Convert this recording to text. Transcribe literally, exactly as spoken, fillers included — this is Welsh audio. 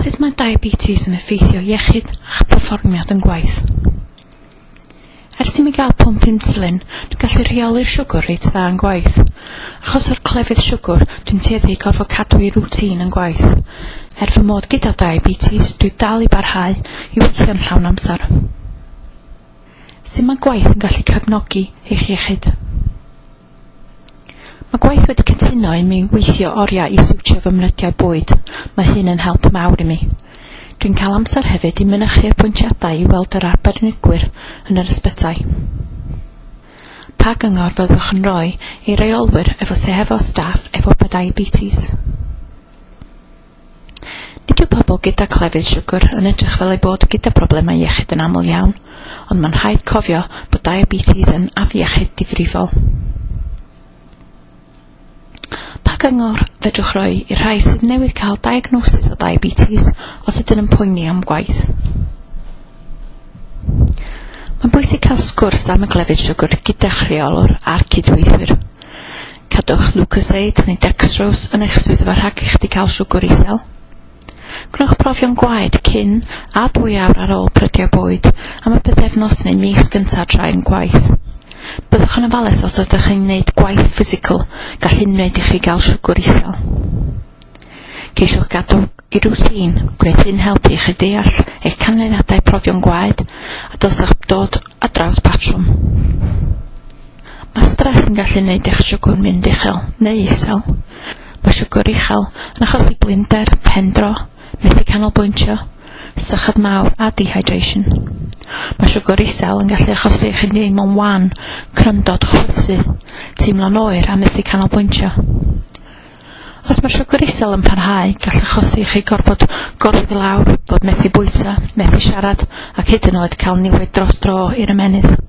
Sut mae diabetes yn effeithio iechyd a'ch perfformiad yn gwaith? Ers i mi gael pwmp insulin, dwi'n gallu rheoli'r siwgr reit dda yn gwaith. Achos o'r clefyd siwgr, dwi'n tueddu i gorfod cadw i rwtîn yn gwaith. Er fy mod gyda diabetes, dwi dal i barhau i weithio'n llawn amser. Sut mae gwaith yn gallu cefnogi eich iechyd? Mae gwaith wedi cytuno i mi weithio oriau i siwtio fy mrydau bwyd. Mae hyn yn help mawr i mi. Dwi'n cael amser hefyd i mynychu apwyntiadau i weld yr arbenigwyr yn yr ysbytai. Pa gyngor fyddwch yn rhoi i reolwyr efo sy hefo staff efo diabetes? Nid yw pobl gyda clefyd siwgr yn edrych fel eu bod gyda problemau iechyd yn aml iawn, ond mae'n rhaid cofio bod diabetes yn afiechyd difrifol. Pa gyngor fedrwch roi i'r rhai sydd newydd cael diagnosis o diabetes os ydyn yn poeni am gwaith? Mae'n bwysig cael sgwrs am y glefyd siwgr gyda'ch rheolwr a'r cydweithwyr. Cadwch Lucozade neu dextrose yn eich swyddfa rhag i chdi cael siwgr isel. Gwnewch profion gwaed cyn a dwy awr ar ôl prydiau bwyd am y pythefnos neu mis gyntaf tra yn gwaith. Byddwch yn ofalus os ydych chi'n gwneud gwaith physical, gall hyn wneud i chi gael siwgr isel. Ceisiwch gadw i rwtîn, gwneud hyn helpu i chi deall eich canlyniadau profion gwaed a dylsach dod ar draws patrwm. Mae stres yn gallu gwneud eich siwgr mynd uchel neu isel. Mae siwgr uchel yn achosi blinder, pendro, methu canolbwyntio, sychad mawr a dehydration. Mae siwgr isel yn gallu achosi i chi deimlo'n wan, cryndod, chwysu, teimlo'n oer a methu canolbwyntio. Os mae siwgr isel yn parhau, gall achosi i chi gorfod gorwedd i lawr, fod methu bwyta, methu siarad ac hyd yn oed cael niwed dros dro i'r ymennydd.